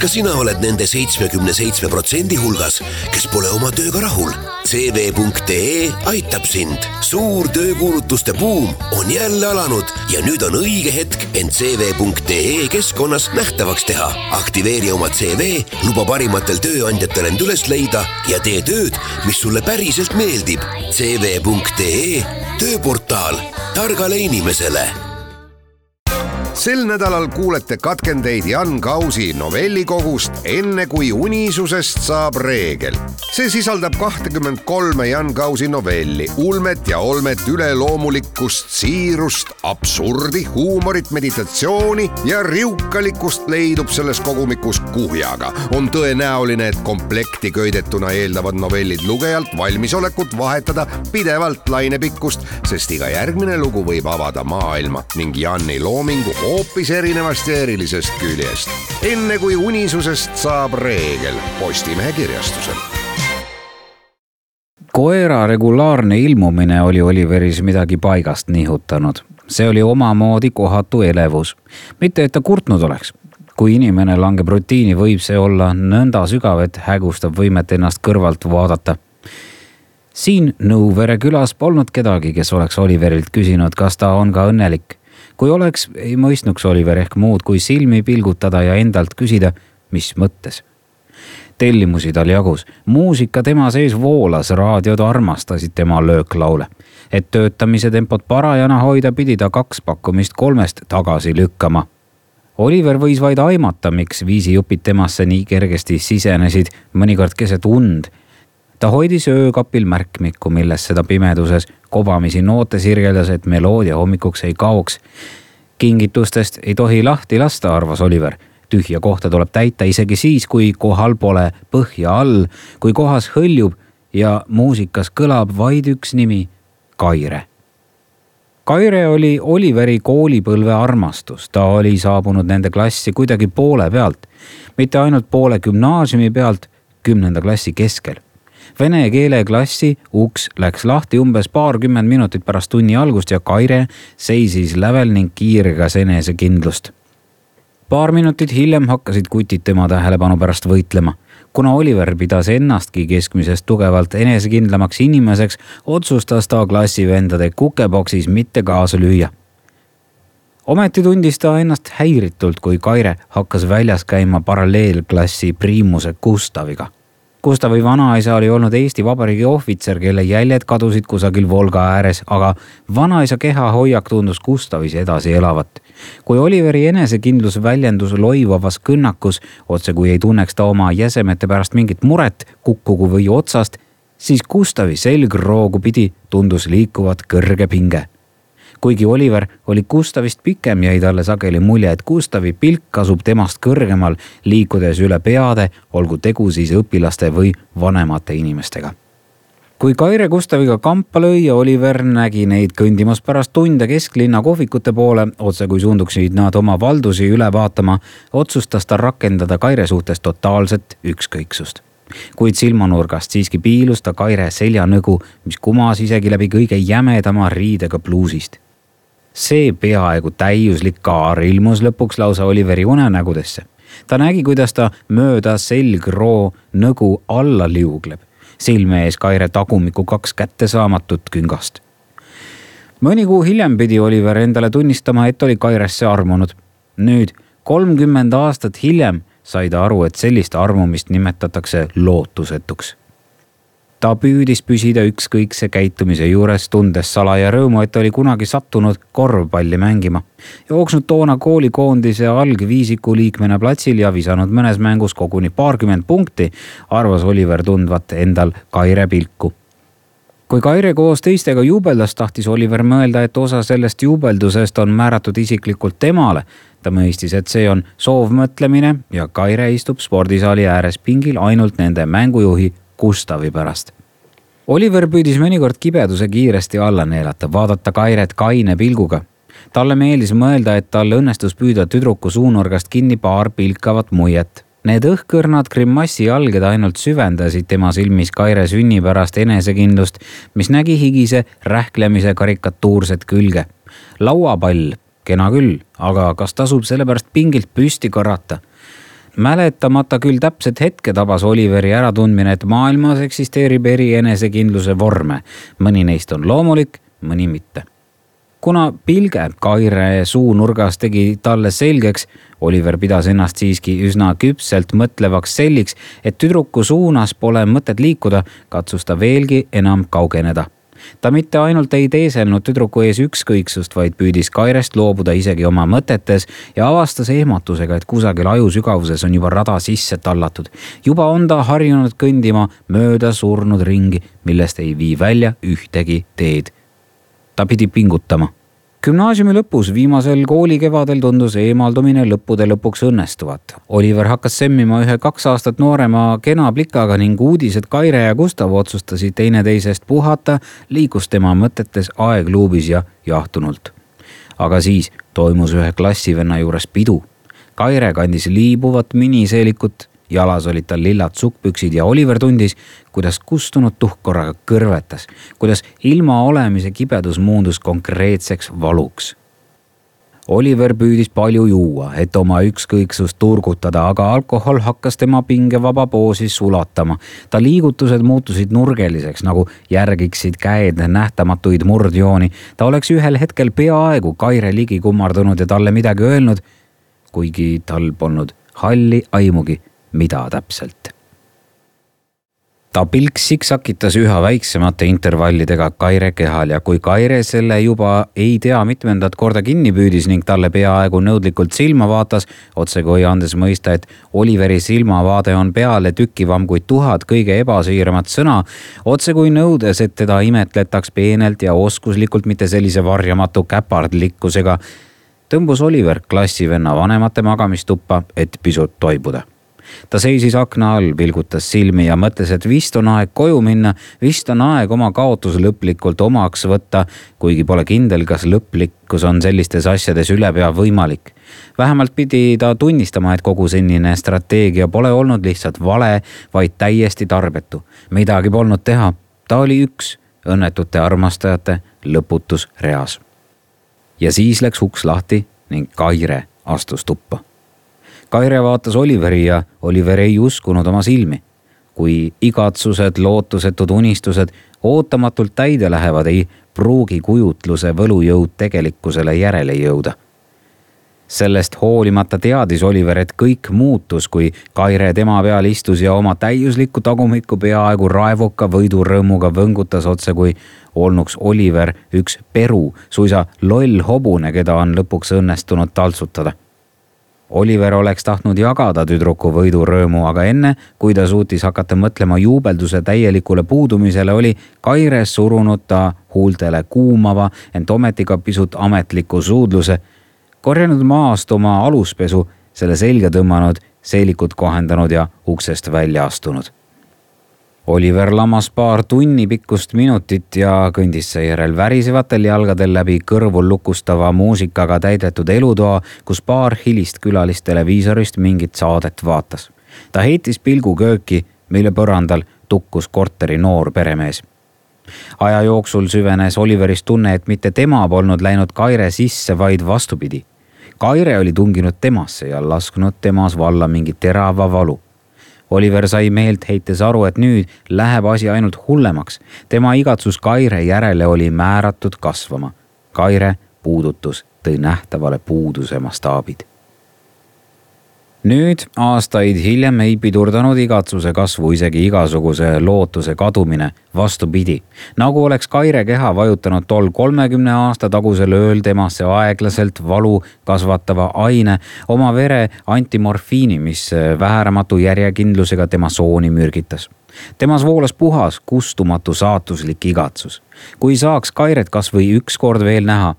sina oled nende 77% hulgas, kes pole oma tööga rahul. CV.ee aitab sind. Suur töökuulutuste buum on jälle alanud ja nüüd on õige hetk end CV.ee keskkonnas nähtavaks teha. Aktiveeri oma CV, luba parimatel tööandjatel end üles leida ja tee tööd, mis sulle päriselt meeldib. CV.ee, tööportaal targale inimesele. Sel nädalal kuulete katkendeid Jan Kausi novellikogust Enne kui unisusest saab reegel. See sisaldab 23 Jan Kausi novelli, ulmet ja olmet, üleloomulikkust, siirust, absurdi, huumorit, meditatsiooni ja riukalikust leidub selles kogumikus kuhjaga. On tõenäoline, et komplekti köidetuna eeldavad novellid lugejalt valmisolekut vahetada pidevalt lainepikkust, sest iga järgmine lugu võib avada maailma ning Janni loomingu hoopis erinevast ja erilisest küljest. Enne kui unisusest saab reegel. Postimehe kirjastusel. Koera regulaarne ilmumine oli Oliveris midagi paigast nihutanud. See oli omamoodi kohatu elevus. Mitte, et ta kurtnud oleks. Kui inimene langeb rutiini, võib see olla nõnda sügav, et hägustab võimet ennast kõrvalt vaadata. Siin Nõuvere külas polnud kedagi, kes oleks Oliverilt küsinud, kas ta on ka õnnelik. Kui oleks, ei mõistnuks Oliver ehk muud kui silmi pilgutada ja endalt küsida, mis mõttes. Tellimusi tal jagus. Muusika tema sees voolas, raadiod armastasid tema lööklaule. Et töötamise tempot parajana hoida, pidi ta 2 pakkumist 3 tagasi lükkama. Oliver võis vaid aimata, miks viisijupid temasse nii kergesti sisenesid, mõnikord keset und. Ta hoidis öökapil märkmikku, milles seda pimeduses kobamisi noote sirgeldas, et meloodia hommikuks ei kaoks. Kingitustest ei tohi lahti lasta, arvas Oliver. Tühja kohta tuleb täita isegi siis, kui kohal pole põhja all, kui kohas hõljub ja muusikas kõlab vaid üks nimi, Kaire. Kaire oli Oliveri koolipõlve armastus. Ta oli saabunud nende klassi kuidagi poole pealt, mitte ainult poole gümnaasiumi pealt, 10. klassi keskel. Vene keele klassi uks läks lahti umbes 20 minutit pärast tunni algust ja Kaire seisis lävel ning kiirgas enesekindlust. 2 minutit hiljem hakkasid kutid tema tähelepanu pärast võitlema. Kuna Oliver pidas ennastki keskmisest tugevalt enesekindlamaks inimeseks, otsustas ta klassivendade kukeboksis mitte kaasa lüüa. Ometi tundis ta ennast häiritult, kui Kaire hakkas väljas käima paralleelklassi priimuse Gustaviga. Gustavi vanaisa oli olnud Eesti Vabariigi ohvitser, kelle jäljed kadusid kusagil Volga ääres, aga vanaisa keha hoiak tundus Gustavis edasi elavat. Kui Oliveri enesekindlus väljendus loivavas kõnnakus, otse kui ei tunneks ta oma jäsemete pärast mingit muret kukkugu või otsast, siis Gustavi selgroogu pidi tundus liikuvat kõrge pinge. Kuigi Oliver oli Gustavist pikem, jäi talle sageli mulje, et Gustavi pilk asub temast kõrgemal, liikudes üle peade, olgu tegu siis õpilaste või vanemate inimestega. Kui Kaire Gustaviga kampa lõi ja Oliver nägi neid kõndimas pärast tunde kesklinna kohvikute poole, otse kui suunduksid nad oma valdusi üle vaatama, otsustas ta rakendada Kaire suhtes totaalset ükskõiksust. Kuid silmanurgast siiski piilus ta Kaire seljanõgu, mis kumas isegi läbi kõige jämedama riidega bluusist. See peaaegu täiuslik kaar ilmus lõpuks lausa Oliveri unenägudesse. Ta nägi, kuidas ta mööda selgroo nõgu alla liugleb. Silme ees Kaire tagumiku 2 kättesaamatut küngast. Mõni kuu hiljem pidi Oliver endale tunnistama, et oli Kairesse armunud. Nüüd, 30 aastat hiljem, sai ta aru, et sellist armumist nimetatakse lootusetuks. Ta püüdis püsida ükskõikse käitumise juures, tundes salaja rõõmu, et oli kunagi sattunud korvpalli mängima. Jooksnud toona koolikoondise algviisiku liikmena platsil ja visanud mõnes mängus koguni 20 punkti, arvas Oliver tundvat endal Kaire pilku. Kui Kaire koos teistega juubeldas, tahtis Oliver mõelda, et osa sellest juubeldusest on määratud isiklikult temale. Ta mõistis, et see on soovmõtlemine ja Kaire istub spordisaali ääres pingil ainult nende mängujuhi Gustavi pärast. Oliver püüdis mõnikord kibeduse kiiresti alla neelata, vaadata Kairet kaine pilguga. Talle meeldis mõelda, et tal õnnestus püüda tüdruku suunurgast kinni 2 pilkavat muiet. Need õhkõrnad grimassi alged ainult süvendasid tema silmis Kaire sünni pärast enesekindlust, mis nägi higise rähklemise karikatuurset külge. Lauapall, kena küll, aga kas tasub sellepärast pingilt püsti karata? mäletamata küll täpset hetke tabas Oliveri äratundmine, et maailmas eksisteerib eri enesekindluse vorme. Mõni neist on loomulik, mõni mitte. Kuna pilge Kaire suunurgas tegi talle selgeks, Oliver pidas ennast siiski üsna küpselt mõtlevaks selliks, et tüdruku suunas pole mõtet liikuda, katsus ta veelgi enam kaugeneda. Ta mitte ainult ei teeselnud tüdruku ees ükskõiksust, vaid püüdis Kairest loobuda isegi oma mõtetes ja avastas ehmatusega, et kusagil aju sügavuses on juba rada sisse tallatud. Juba on ta harjunud kõndima mööda surnud ringi, millest ei vii välja ühtegi teed. Ta pidi pingutama. Gümnaasiumi lõpus viimasel koolikevadel tundus eemaldumine lõppude lõpuks õnnestuvat. Oliver hakkas semmima ühe 2 aastat noorema kena plikaga ning uudised Kaire ja Gustav otsustasid teineteisest puhata, liikus tema mõtetes aegluubis ja jahtunult. Aga siis toimus ühe klassivenna juures pidu. Kaire kandis liibuvat miniseelikut, jalas olid tal lillad sukkpüksid ja Oliver tundis, kuidas kustunud tuhk korraga kõrvetas, kuidas ilma olemise kibedus muundus konkreetseks valuks. Oliver püüdis palju juua, et oma ükskõiksust turgutada, aga alkohol hakkas tema pingevaba poosi sulatama. Ta liigutused muutusid nurgeliseks, nagu järgiksid käed nähtamatuid murdjooni. Ta oleks ühel hetkel peaaegu Kaire ligi kummardunud ja talle midagi öelnud, kuigi tal polnud halli aimugi, mida täpselt. Ta pilk siksakitas üha väiksemate intervallidega Kaire kehal ja kui Kaire selle juba ei tea mitmendat korda kinni püüdis ning talle peaaegu nõudlikult silma vaatas, otsekui andes mõista, et Oliveri silmavaade on peale tükivam kui 1000 kõige ebasiiramat sõna, otsekui nõudes, et teda imetletaks peenelt ja oskuslikult, mitte sellise varjamatu käpardlikkusega, tõmbus Oliver klassivenna vanemate magamistuppa, et pisut toibuda. Ta seisis akna all, pilgutas silmi ja mõtles, et vist on aeg koju minna, vist on aeg oma kaotus lõplikult omaks võtta, kuigi pole kindel, kas lõplikkus on sellistes asjades ülepea võimalik. Vähemalt pidi ta tunnistama, et kogu senine strateegia pole olnud lihtsalt vale, vaid täiesti tarbetu. Midagi polnud teha. Ta oli üks õnnetute armastajate lõputus reas. Ja siis läks uks lahti ning Kaire astus tuppa. Kaire vaatas Oliveri ja Oliver ei uskunud oma silmi. Kui igatsused, lootusetud unistused ootamatult täide lähevad, ei pruugi kujutluse võlujõud tegelikkusele järele jõuda. Sellest hoolimata teadis Oliver, et kõik muutus, kui Kaire tema peal istus ja oma täiuslikku tagumikku peaaegu raevuka võidurõõmuga võngutas, otse kui olnuks Oliver üks peru, suisa loll hobune, keda on lõpuks õnnestunud taltsutada. Oliver oleks tahtnud jagada tüdruku võidurõõmu, aga enne, kui ta suutis hakata mõtlema juubelduse täielikule puudumisele, oli Kaire surunud ta huultele kuumava, ent ometiga pisut ametliku suudluse, korjanud maast oma aluspesu, selle selga tõmmanud, seelikut kohendanud ja uksest välja astunud. Oliver lamas paar tunni pikkust minutit ja kõndis seejärel värisevatel jalgadel läbi kõrvul lukustava muusikaga täidetud elutoa, kus paar hilist külalist televiisorist mingit saadet vaatas. Ta heitis pilgu kööki, mille põrandal tukkus korteri noor peremees. Aja jooksul süvenes Oliverist tunne, et mitte tema polnud läinud Kaire sisse, vaid vastupidi. Kaire oli tunginud temasse ja lasknud temas valla mingi terava valu. Oliver sai meelt heites aru, et nüüd läheb asi ainult hullemaks. Tema igatsus Kaire järele oli määratud kasvama. Kaire puudutus tõi nähtavale puuduse mastaabid. Nüüd aastaid hiljem ei pidurdanud igatsuse kasvu isegi igasuguse lootuse kadumine, vastupidi. Nagu oleks Kaire keha vajutanud tol 30 aasta tagusel ööl temasse aeglaselt valu kasvatava aine, oma vere antimorfiini, mis väheramatu järjekindlusega tema sooni mürgitas. Temas voolas puhas, kustumatu saatuslik igatsus. Kui saaks Kairet kas või ükskord veel näha.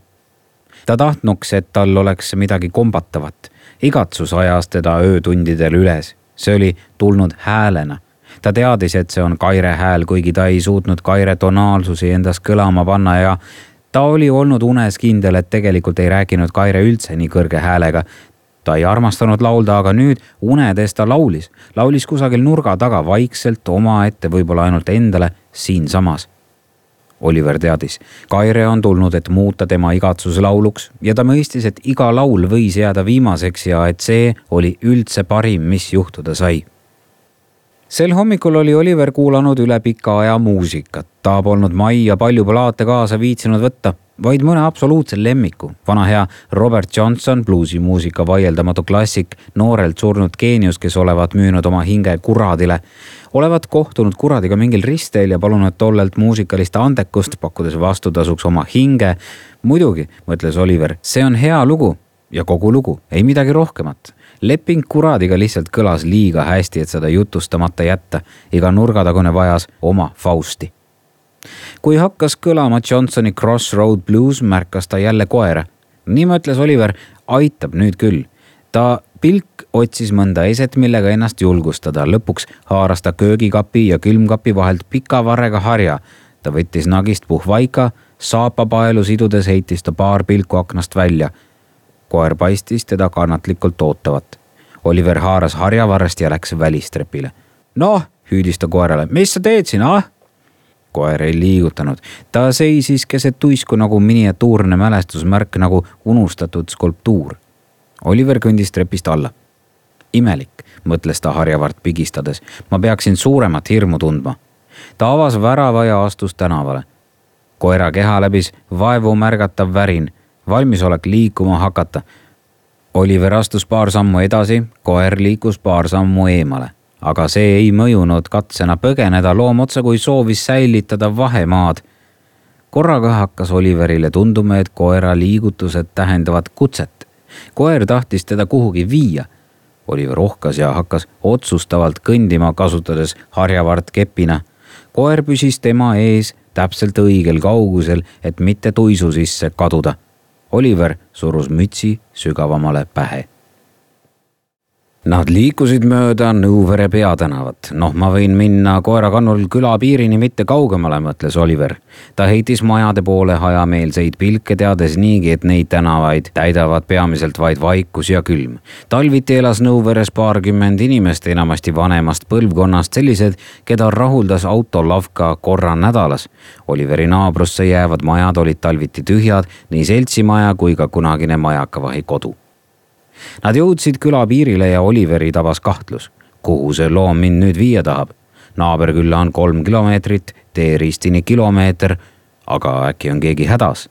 Ta tahtnuks, et tal oleks midagi kombatavat. Igatsus ajas teda öötundidel üles. See oli tulnud häälena. Ta teadis, et see on Kaire hääl, kuigi ta ei suutnud Kaire tonaalsusi endas kõlama panna ja ta oli olnud unes kindel, et tegelikult ei rääkinud Kaire üldse nii kõrge häälega. Ta ei armastanud laulda, aga nüüd unedes ta laulis. Laulis kusagil nurga taga vaikselt omaette, võib-olla ainult endale siinsamas. Oliver teadis, Kaire on tulnud, et muuta tema igatsuslauluks ja ta mõistis, et iga laul võis jääda viimaseks ja et see oli üldse parim, mis juhtuda sai. Sel hommikul oli Oliver kuulanud üle pika aja muusikat. Ta polnud majja palju plaate kaasa viitsinud võtta, vaid mõne absoluutse lemmiku. Vana hea Robert Johnson, bluusimuusika vaieldamatu klassik, noorelt surnud geenius, kes olevat müünud oma hinge kuradile. Olevat kohtunud kuradiga mingil ristel ja palunud tollelt muusikalist andekust, pakkudes vastutasuks oma hinge. Muidugi, mõtles Oliver, see on hea lugu ja kogu lugu, ei midagi rohkemat. Leping kuradiga lihtsalt kõlas liiga hästi, et seda jutustamata jätta. Iga nurgatagune vajas oma Fausti. Kui hakkas kõlama Johnsoni Crossroad Blues, märkas ta jälle koera. Nii mõtles Oliver, aitab nüüd küll. Ta pilk otsis mõnda eset, millega ennast julgustada. Lõpuks haaras ta köögikapi ja külmkapi vahelt pika varrega harja. Ta võttis nagist puhvaika, saapapaelu sidudes heitis ta paar pilku aknast välja. Koer paistis teda kannatlikult ootavat. Oliver haaras harjavarrest ja läks välistrepile. Noh, hüüdis ta koerale, mis sa teed siin, ah? Koer ei liigutanud. Ta seisis keset tuisku nagu miniatuurne mälestusmärk, nagu unustatud skulptuur. Oliver kõndis trepist alla. Imelik, mõtles ta harjavart pigistades. Ma peaksin suuremat hirmu tundma. Ta avas värava ja astus tänavale. Koera keha läbis vaevu märgatav värin. Valmisolek liikuma hakata. Oliver astus paar sammu edasi, koer liikus paar sammu eemale. Aga see ei mõjunud katsena põgeneda, loom otsa kui soovis säilitada vahemaad. Korraga hakkas Oliverile tunduma, et koera liigutused tähendavad kutset. Koer tahtis teda kuhugi viia. Oliver ohkas ja hakkas otsustavalt kõndima, kasutades harjavart kepina. Koer püsis tema ees täpselt õigel kaugusel, et mitte tuisu sisse kaduda. Oliver surus mütsi sügavamale pähe. Nad liikusid mööda Nõuvere peatänavat. Ma võin minna koerakannul küla piirini mitte kaugemale, mõtles Oliver. Ta heitis majade poole hajameelseid pilke, teades niigi, et neid tänavaid täidavad peamiselt vaid vaikus ja külm. Talviti elas Nõuveres 20 inimest, enamasti vanemast põlvkonnast, sellised, keda rahuldas autolavka korra nädalas. Oliveri naabrusse jäävad majad olid talviti tühjad, nii seltsimaja kui ka kunagine majakavahi kodu. Nad jõudsid küla piirile ja Oliveri tabas kahtlus. Kuhu see loom mind nüüd viia tahab? Naaberkülla on 3 kilomeetrit, teeristini kilomeeter, aga äkki on keegi hädas.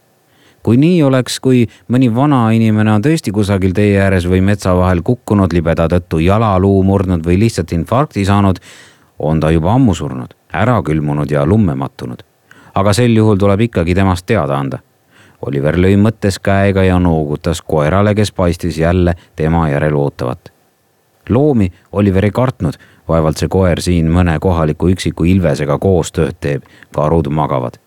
Kui nii oleks, kui mõni vana inimene on tõesti kusagil tee ääres või metsa vahel kukkunud, libeda tõttu jalaluu murdnud või lihtsalt infarkti saanud, on ta juba ammu surnud, ära külmunud ja lumme mattunud. Aga sel juhul tuleb ikkagi temast teada anda. Oliver lõi mõttes käega ja noogutas koerale, kes paistis jälle tema järel ootavat. Loomi Oliver ei kartnud, vaevalt see koer siin mõne kohaliku üksiku ilvesega koos tööd teeb, karud magavad.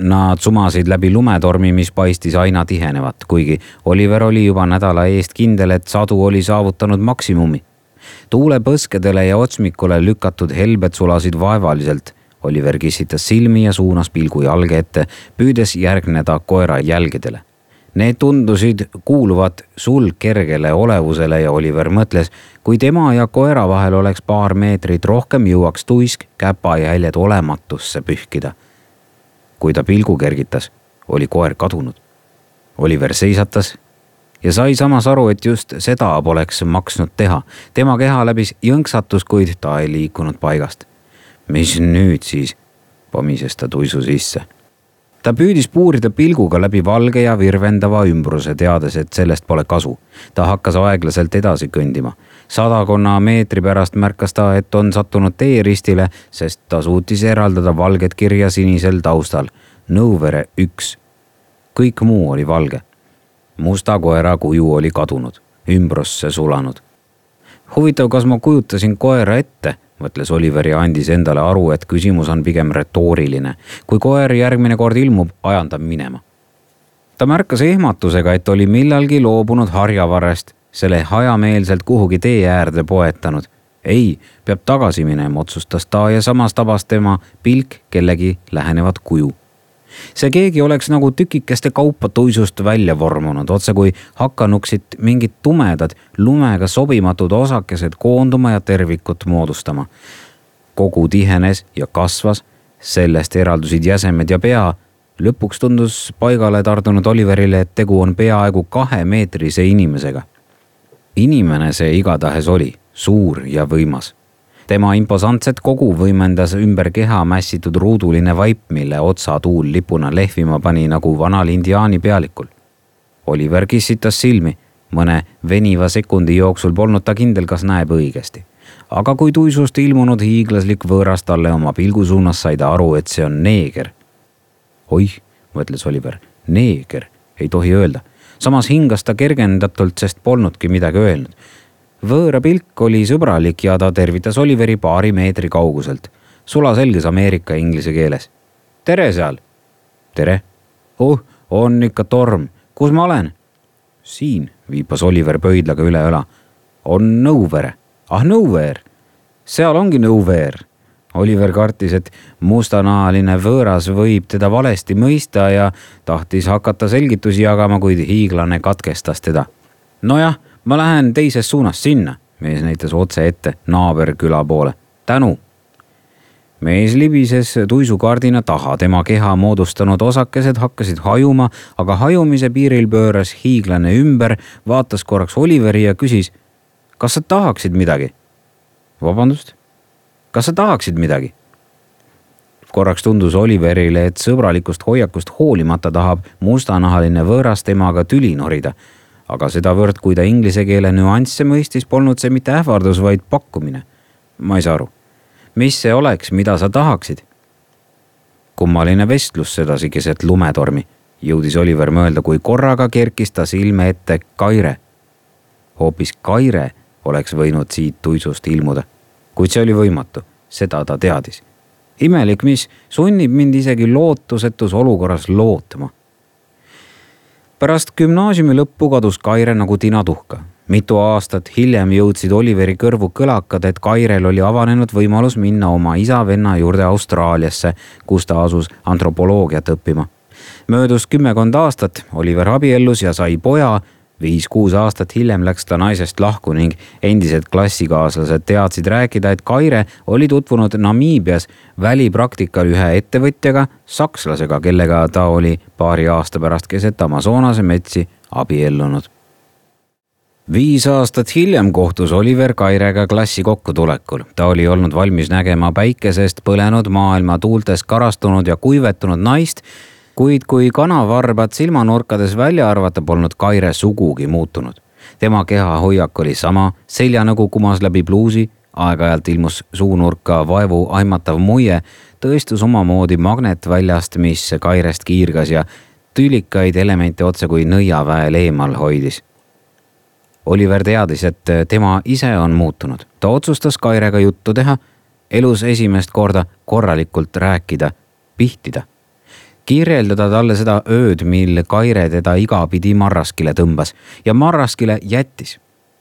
Nad sumasid läbi lumetormi, mis paistis aina tihenevat, kuigi Oliver oli juba nädala eest kindel, et sadu oli saavutanud maksimumi. Tuule põskedele ja otsmikule lükatud helbed sulasid vaevaliselt. Oliver kissitas silmi ja suunas pilgu jalge ette, püüdes järgneda koera jälgedele. Need tundusid kuuluvat sulgkergele olevusele ja Oliver mõtles, kui tema ja koera vahel oleks paar meetrit rohkem, jõuaks tuisk käpajäljed olematusse pühkida. Kui ta pilgu kergitas, oli koer kadunud. Oliver seisatas ja sai samas aru, et just seda poleks maksnud teha. Tema keha läbis jõnksatus, kuid ta ei liikunud paigast. Mis nüüd siis? Pomises ta tuisu sisse. Ta püüdis puurida pilguga läbi valge ja virvendava ümbruse, teades, et sellest pole kasu. Ta hakkas aeglaselt edasi kõndima. 100 meetri pärast märkas ta, et on sattunud teeristile, sest ta suutis eraldada valget kirja sinisel taustal. Nõuvere 1. Kõik muu oli valge. Musta koera kuju oli kadunud, ümbrusse sulanud. Huvitav, kas ma kujutasin koera ette, mõtles Oliver ja andis endale aru, et küsimus on pigem retooriline. Kui koer järgmine kord ilmub, ajan ta minema. Ta märkas ehmatusega, et oli millalgi loobunud harjavarrest, selle hajameelselt kuhugi tee äärde poetanud. Ei, peab tagasi minema, otsustas ta ja samas tabas tema pilk kellegi lähenevat kuju. See keegi oleks nagu tükikeste kaupa tuisust välja vormunud, otse kui hakkanuksid mingid tumedad, lumega sobimatud osakesed koonduma ja tervikut moodustama. Kogu tihenes ja kasvas, sellest eraldusid jäsemed ja pea. Lõpuks tundus paigale tardunud Oliverile, et tegu on peaaegu 2-meetrise inimesega. Inimene see igatahes oli, suur ja võimas. Tema imposantset kogu võimendas ümber keha mässitud ruuduline vaip, mille otsa tuul lipuna lehvima pani nagu vanal indiaani pealikul. Oliver kissitas silmi. Mõne veniva sekundi jooksul polnud ta kindel, kas näeb õigesti. Aga kui tuisust ilmunud hiiglaslik võõras talle oma pilgu suunas, sai ta aru, et see on neeger. Oih, mõtles Oliver, neeger, ei tohi öelda. Samas hingas ta kergendatult, sest polnudki midagi öelnud. Võõra pilk oli sõbralik ja ta tervitas Oliveri paari meetri kauguselt. Sulaselges Ameerika inglise keeles. Tere seal! Tere! On ikka torm. Kus ma olen? Siin, viipas Oliver pöidlaga üle õla. On Nowhere. Nowhere! Seal ongi Nowhere. Oliver kartis, et mustanahaline võõras võib teda valesti mõista ja tahtis hakata selgitusi jagama, kuid hiiglane katkestas teda. Nojah, ma lähen teises suunas sinna, mees näitas otse ette naaberküla poole. Tänu! Mees libises tuisukardina taha, tema keha moodustanud osakesed hakkasid hajuma, aga hajumise piiril pööras hiiglane ümber, vaatas korraks Oliveri ja küsis, kas sa tahaksid midagi? Vabandust? Kas sa tahaksid midagi? Korraks tundus Oliverile, et sõbralikust hoiakust hoolimata tahab mustanahaline võõras temaga tüli norida. Aga sedavõrd, kui ta inglise keele nüansse mõistis, polnud see mitte ähvardus, vaid pakkumine. Ma ei saa aru. Mis see oleks, mida sa tahaksid? Kummaline vestlus sedasi keset lumetormi, jõudis Oliver mõelda, kui korraga kerkis ta silme ette Kaire. Hoopis Kaire oleks võinud siit tuisust ilmuda. Kuid see oli võimatu, seda ta teadis. Imelik, mis sunnib mind isegi lootusetus olukorras lootma. Pärast gümnaasiumi lõppu kadus Kaire nagu tinatuhka. Mitu aastat hiljem jõudsid Oliveri kõrvu kõlakad, et Kairel oli avanenud võimalus minna oma isa-venna juurde Austraaliasse, kus ta asus antropoloogiat õppima. Möödus 10 aastat, Oliver abiellus ja sai poja. 5-6 aastat hiljem läks ta naisest lahku ning endised klassikaaslased teadsid rääkida, et Kaire oli tutvunud Namiibias välipraktikal ühe ettevõtjaga, sakslasega, kellega ta oli paari aasta pärast keset Amazonase metsi abiellunud. 5 aastat hiljem kohtus Oliver Kairega klassi kokkutulekul. Ta oli olnud valmis nägema päikesest põlenud maailma tuultes karastunud ja kuivetunud naist, kuid kui kanavarbad silmanurkades välja arvata, polnud Kaire sugugi muutunud. Tema keha hoiak oli sama, seljanõgu kumas läbi pluusi, aeg-ajalt ilmus suunurka vaevu aimatav muie, tõestus omamoodi magnetväljast, mis Kairest kiirgas ja tülikaid elemente otse kui nõiaväel eemal hoidis. Oliver teadis, et tema ise on muutunud. Ta otsustas Kairega juttu teha, elus esimest korda korralikult rääkida, pihtida. Kirjeldada talle seda ööd, mil Kaire teda igapidi marraskile tõmbas ja marraskile jättis.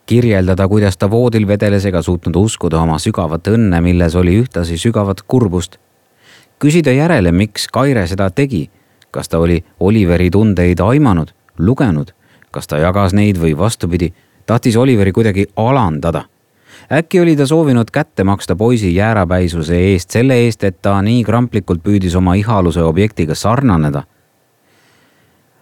Kirjeldada, kuidas ta voodil vedeles ega suutnud uskuda oma sügavat õnne, milles oli ühtlasi sügavat kurbust. Küsida järele, miks Kaire seda tegi. Kas ta oli Oliveri tundeid aimanud, lugenud, kas ta jagas neid või vastupidi, tahtis Oliveri kuidagi alandada. Äkki oli ta soovinud kätte maksta poisi jäärapäisuse eest selle eest, et ta nii kramplikult püüdis oma ihaluse objektiga sarnaneda.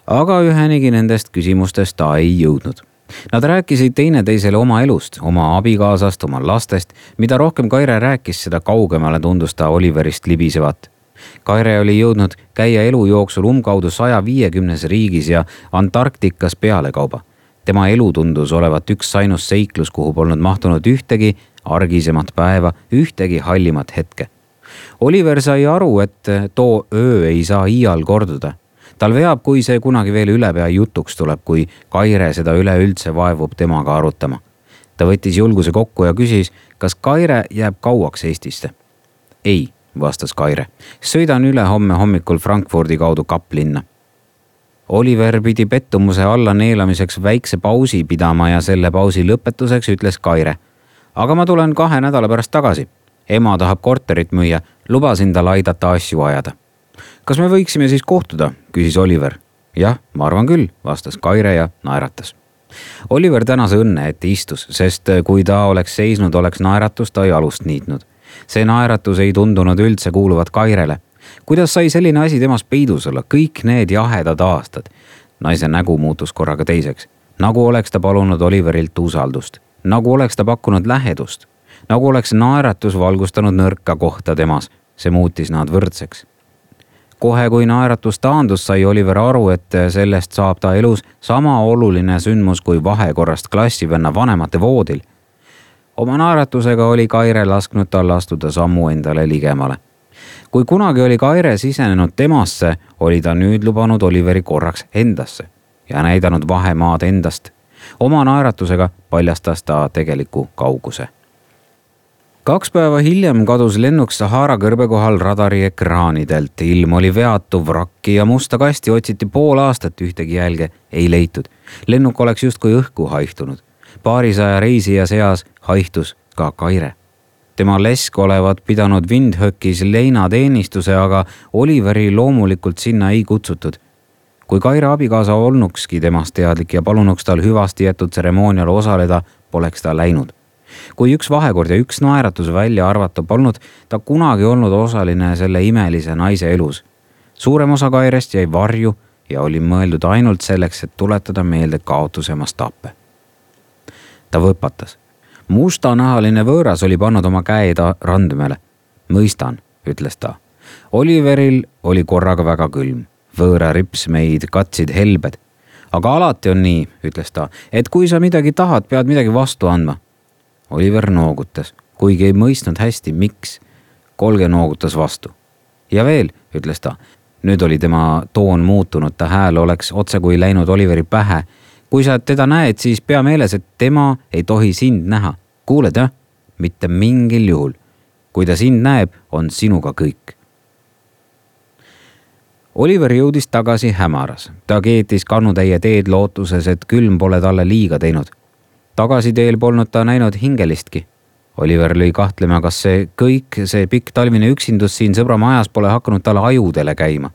Aga ühenigi nendest küsimustest ta ei jõudnud. Nad rääkisid teineteisele oma elust, oma abikaasast, oma lastest. Mida rohkem Kaire rääkis, seda kaugemale tundus ta Oliverist libisevat. Kaire oli jõudnud käia elu jooksul umbkaudu 150 riigis ja Antarktikas pealekauba. Tema elu tundus olevat üks ainus seiklus, kuhu polnud mahtunud ühtegi argisemat päeva, ühtegi hallimat hetke. Oliver sai aru, et too öö ei saa iial korduda. Tal veab, kui see kunagi veel ülepea jutuks tuleb, kui Kaire seda üleüldse vaevub temaga arutama. Ta võttis julguse kokku ja küsis, kas Kaire jääb kauaks Eestisse. Ei, vastas Kaire. Sõidan üle homme hommikul Frankfurdi kaudu Kaplinna. Oliver pidi pettumuse alla neelamiseks väikse pausi pidama ja selle pausi lõpetuseks ütles Kaire. Aga ma tulen 2 nädala pärast tagasi. Ema tahab korterit müüa, lubasin tal aidata asju ajada. Kas me võiksime siis kohtuda, küsis Oliver. Jah, ma arvan küll, vastas Kaire ja naeratas. Oliver tänas õnne, et istus, sest kui ta oleks seisnud, oleks naeratus ta jalust niitnud. See naeratus ei tundunud üldse kuuluvat Kairele. kuidas sai selline asi temas peidus olla kõik need jahedad aastad? Naise nägu muutus korraga teiseks. Nagu oleks ta palunud Oliverilt usaldust. Nagu oleks ta pakkunud lähedust. Nagu oleks naeratus valgustanud nõrka kohta temas. See muutis nad võrdseks. Kohe kui naeratus taandus, sai Oliver aru, et sellest saab ta elus sama oluline sündmus kui vahekorrast klassivenna vanemate voodil. Oma naeratusega oli Kaire lasknud tal astuda sammu endale ligemale. Kui kunagi oli Kaire sisenenud temasse, oli ta nüüd lubanud Oliveri korraks endasse ja näidanud vahemaad endast. Oma naeratusega paljastas ta tegeliku kauguse. 2 päeva hiljem kadus lennuk Sahara kõrbe kohal radari ekraanidelt. Ilm oli veatu, vrakki ja musta kasti otsiti pool aastat, ühtegi jälge ei leitud. Lennuk oleks justkui õhku haihtunud. Paarisaja reisija seas haihtus ka Kaire. Tema lesk olevat pidanud Windhoekis leinateenistuse, aga Oliveri loomulikult sinna ei kutsutud. Kui Kaire abikaasa olnukski temast teadlik ja palunuks tal hüvasti jätud tseremoonial osaleda, poleks ta läinud. Kui üks vahekord ja üks naeratus välja arvata, polnud ta kunagi olnud osaline selle imelise naise elus. Suurem osa Kairest jäi varju ja oli mõeldud ainult selleks, et tuletada meelde kaotuse mastaape. Ta võpatas. Mustanahaline võõras oli pannud oma käed randmele. Mõistan, ütles ta. Oliveril oli korraga väga külm. Võõra ripsmeid katsid helbed. Aga alati on nii, ütles ta, et kui sa midagi tahad, pead midagi vastu andma. Oliver noogutas, kuigi ei mõistnud hästi, miks. Kolge noogutas vastu. Ja veel, ütles ta. Nüüd oli tema toon muutunud, ta hääl oleks otse kui läinud Oliveri pähe. Kui sa teda näed, siis pea meeles, et tema ei tohi sind näha. Kuuled, jah? Mitte mingil juhul. Kui ta sind näeb, on sinuga kõik. Oliver jõudis tagasi hämaras. Ta keetis kannutäie teed lootuses, et külm pole talle liiga teinud. Tagasi teel polnud ta näinud hingelistki. Oliver lõi kahtlema, kas see kõik, see pikk talvine üksindus siin sõbra majas pole hakanud talle ajudele käima.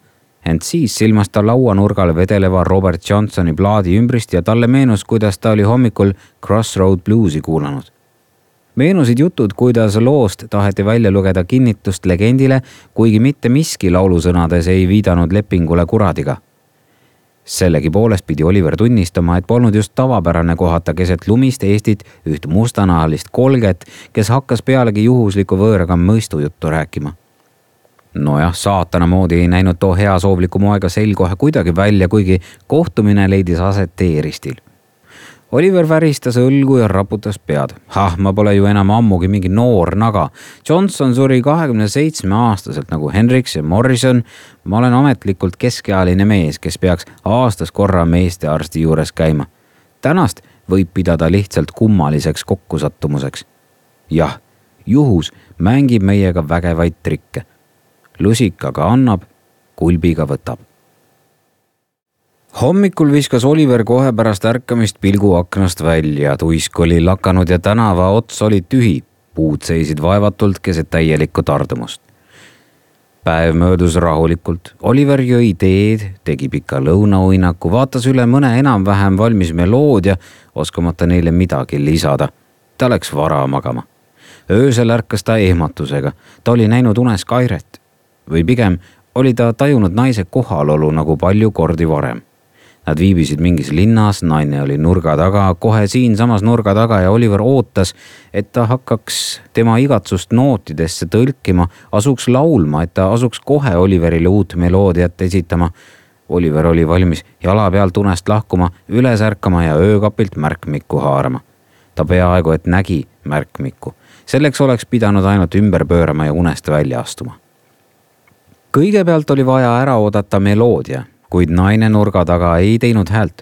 Ent siis silmas ta lauanurgal vedeleva Robert Johnsoni plaadi ümbrist ja talle meenus, kuidas ta oli hommikul Crossroad Bluesi kuulanud. Meenusid jutud, kuidas loost taheti välja lugeda kinnitust legendile, kuigi mitte miski laulusõnades ei viidanud lepingule kuradiga. Sellegi poolest pidi Oliver tunnistama, et polnud just tavapärane kohata keset lumist Eestit üht mustanahalist kolget, kes hakkas pealegi juhusliku võõraga mõistujuttu rääkima. Nojah, saatana moodi ei näinud too heasoovliku moega selkohe kuidagi välja, kuigi kohtumine leidis aset teeristil. Oliver väristas õlgu ja raputas pead. Ma pole ju enam ammugi mingi noor naga. Johnson suri 27-aastaselt nagu Hendricks ja Morrison. Ma olen ametlikult keskealine mees, kes peaks aastas korra meestearsti juures käima. Tänast võib pidada lihtsalt kummaliseks kokkusattumuseks. Jah, juhus mängib meiega vägevaid trikke. Lusikaga annab, kulbiga võtab. Hommikul viskas Oliver kohe pärast ärkamist pilgu aknast välja. Tuisk oli lakanud ja tänava ots oli tühi. Puud seisid vaevatult keset täielikku tardumust. Päev möödus rahulikult. Oliver jõi teed, tegi pika lõunauinaku, vaatas üle mõne enam-vähem valmis meloodia, oskamata neile midagi lisada. Ta läks vara magama. Öösel ärkas ta ehmatusega. Ta oli näinud unes Kairet. Või pigem oli ta tajunud naise kohalolu nagu palju kordi varem. Nad viibisid mingis linnas, naine oli nurga taga, kohe siin samas nurga taga ja Oliver ootas, et ta hakkaks tema igatsust nootidesse tõlkima, asuks laulma, et ta asuks kohe Oliverile uut meloodiat esitama. Oliver oli valmis jala pealt unest lahkuma, üles ärkama ja öökapilt märkmikku haarama. Ta peaaegu et nägi märkmikku. Selleks oleks pidanud ainult ümber pöörama ja unest välja astuma. Kõigepealt oli vaja ära oodata meloodia, kuid naine nurga taga ei teinud häält.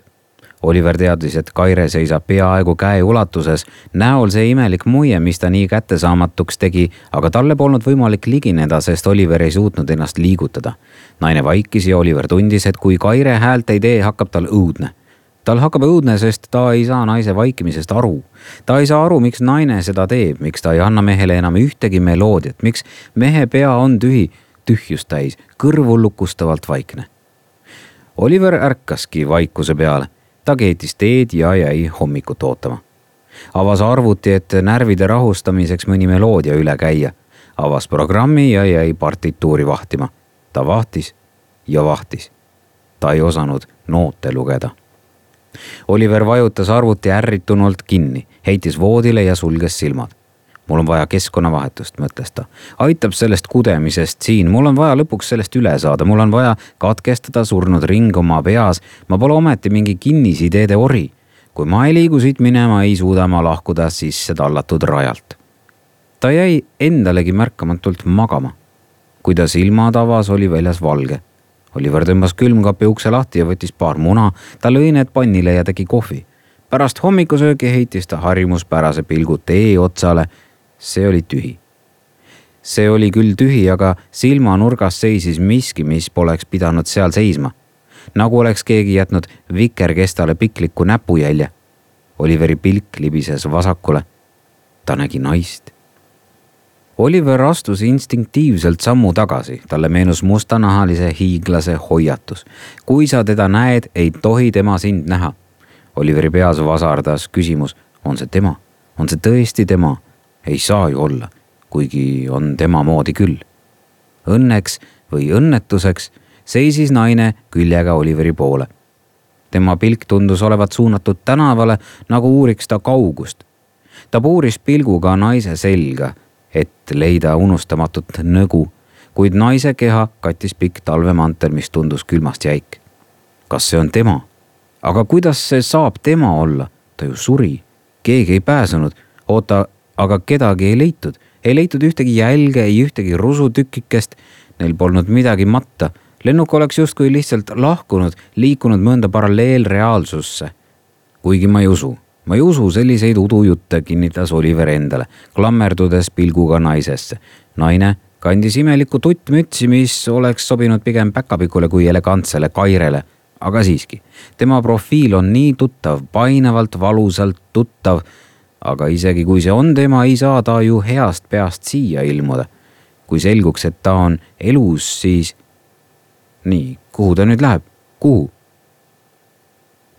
Oliver teadis, et Kaire seisab peaaegu käe ulatuses, näol see imelik muie, mis ta nii kättesaamatuks tegi, aga talle polnud võimalik ligineda, sest Oliver ei suutnud ennast liigutada. Naine vaikis ja Oliver tundis, et kui Kaire häält ei tee, hakkab tal õudne. Tal hakkab õudne, sest ta ei saa naise vaikimisest aru. Ta ei saa aru, miks naine seda teeb, miks ta ei anna mehele enam ühtegi meloodiat, miks mehe pea on tühjust täis, kõrvu lukustavalt vaikne. Oliver ärkaski vaikuse peale. Ta keetis teed ja jäi hommikut ootama. Avas arvuti, et närvide rahustamiseks mõni meloodia üle käia. Avas programmi ja jäi partituuri vahtima. ta vahtis ja vahtis. Ta ei osanud noote lugeda. Oliver vajutas arvuti ärritunult kinni, heitis voodile ja sulges silmad. Mul on vaja keskkonnavahetust, mõtles ta. Aitab sellest kudemisest siin, mul on vaja lõpuks sellest üle saada, mul on vaja katkestada surnud ring oma peas. Ma pole ometi mingi kinnisideede ori. Kui ma ei liigu siit minema, ei suuda ma lahkuda sisse tallatud rajalt. Ta jäi endalegi märkamatult magama. Kui ta silmad avas, oli väljas valge. Oliver tõmbas külmkapi ukse lahti ja võttis paar muna. Ta lõi need pannile ja tegi kohvi. Pärast hommikusöögi heitis ta harjumuspärase pilgu tee otsale. See oli tühi. See oli küll tühi, aga silmanurgas seisis miski, mis poleks pidanud seal seisma. Nagu oleks keegi jätnud vikerkestale pikliku näpujälje. Oliveri pilk libises vasakule. Ta nägi naist. Oliver astus instinktiivselt sammu tagasi. Talle meenus mustanahalise hiiglase hoiatus. Kui sa teda näed, ei tohi tema sind näha. Oliveri peas vasardas küsimus. On see tema? On see tõesti tema? Ei saa ju olla, kuigi on tema moodi küll. Õnneks või õnnetuseks seisis naine küljega Oliveri poole. Tema pilk tundus olevat suunatud tänavale, nagu uuriks ta kaugust. Ta puuris pilguga naise selga, et leida unustamatut nõgu, kuid naise keha kattis pikk talvemantel, mis tundus külmast jäik. Kas see on tema? Aga kuidas see saab tema olla? Ta ju suri. Keegi ei pääsenud. Oota, aga kedagi ei leitud. Ei leitud ühtegi jälge, ei ühtegi rusutükikest. Neil polnud midagi matta. Lennuk oleks justkui lihtsalt lahkunud, liikunud mõnda paralleelreaalsusse. Kuigi ma ei usu. Ma ei usu selliseid udujutte, kinnitas Oliver endale, klammerdudes pilguga naisesse. Naine kandis imelikku tuttmütsi, mis oleks sobinud pigem päkapikule kui elegantsele kairele. Aga siiski, tema profiil on nii tuttav, painavalt, valusalt tuttav. Aga isegi kui see on tema, ei saa ta ju heast peast siia ilmuda. Kui selguks, et ta on elus, siis... Nii, kuhu ta nüüd läheb? Kuhu?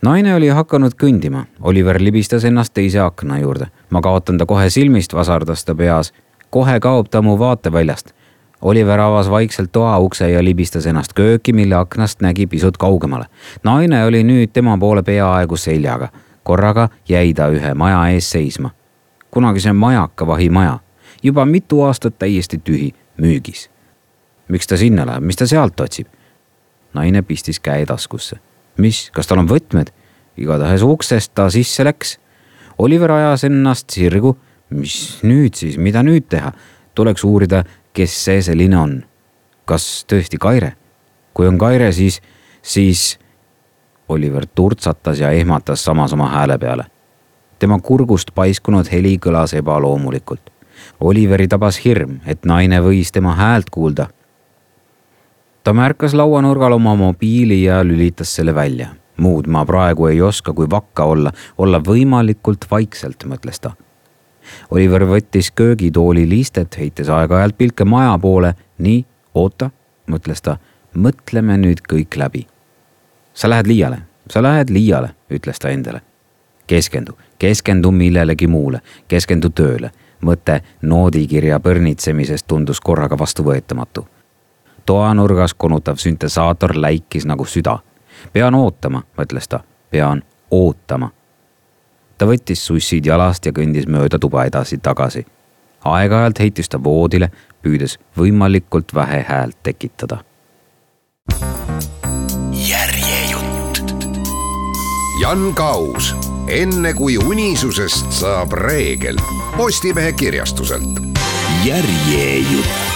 Naine oli hakanud kõndima. Oliver libistas ennast teise akna juurde. Ma kaotan ta kohe silmist, vasardas ta peas. Kohe kaob ta mu vaateväljast. Oliver avas vaikselt toa ukse ja libistas ennast kööki, mille aknast nägi pisut kaugemale. Naine oli nüüd tema poole peaaegu seljaga. Korraga jäi ta ühe maja ees seisma. Kunagi see majakavahi maja. Juba mitu aastat täiesti tühi, müügis. Miks ta sinna läheb? Mis ta sealt otsib? Naine pistis käe taskusse. Mis? Kas tal on võtmed? Igatahes uksest ta sisse läks. Oliver ajas ennast sirgu. Mis nüüd siis? Mida nüüd teha? Tuleks uurida, kes see selline on. Kas tõesti Kaire? Kui on Kaire, siis... Oliver turtsatas ja ehmatas samas oma hääle peale. Tema kurgust paiskunud heli kõlas ebaloomulikult. Oliveri tabas hirm, et naine võis tema häält kuulda. Ta märkas lauanurgal oma mobiili ja lülitas selle välja. Muud ma praegu ei oska kui vakka olla võimalikult vaikselt, mõtles ta. Oliver võttis köögitooli liistet, heites aeg-ajalt pilke maja poole. Nii, oota, mõtles ta, mõtleme nüüd kõik läbi. Sa lähed liiale, ütles ta endale. Keskendu millelegi muule, keskendu tööle. Mõte noodikirja põrnitsemisest tundus korraga vastuvõetamatu. Toanurgas konutav süntesaator läikis nagu süda. Pean ootama, mõtles ta, pean ootama. Ta võttis sussid jalast ja kõndis mööda tuba edasi tagasi. Aeg-ajalt heitis ta voodile, püüdes võimalikult vähe häält tekitada. Jan Kaus, enne kui unisusest saab reegel. Postimehe kirjastuselt. Järjejutt.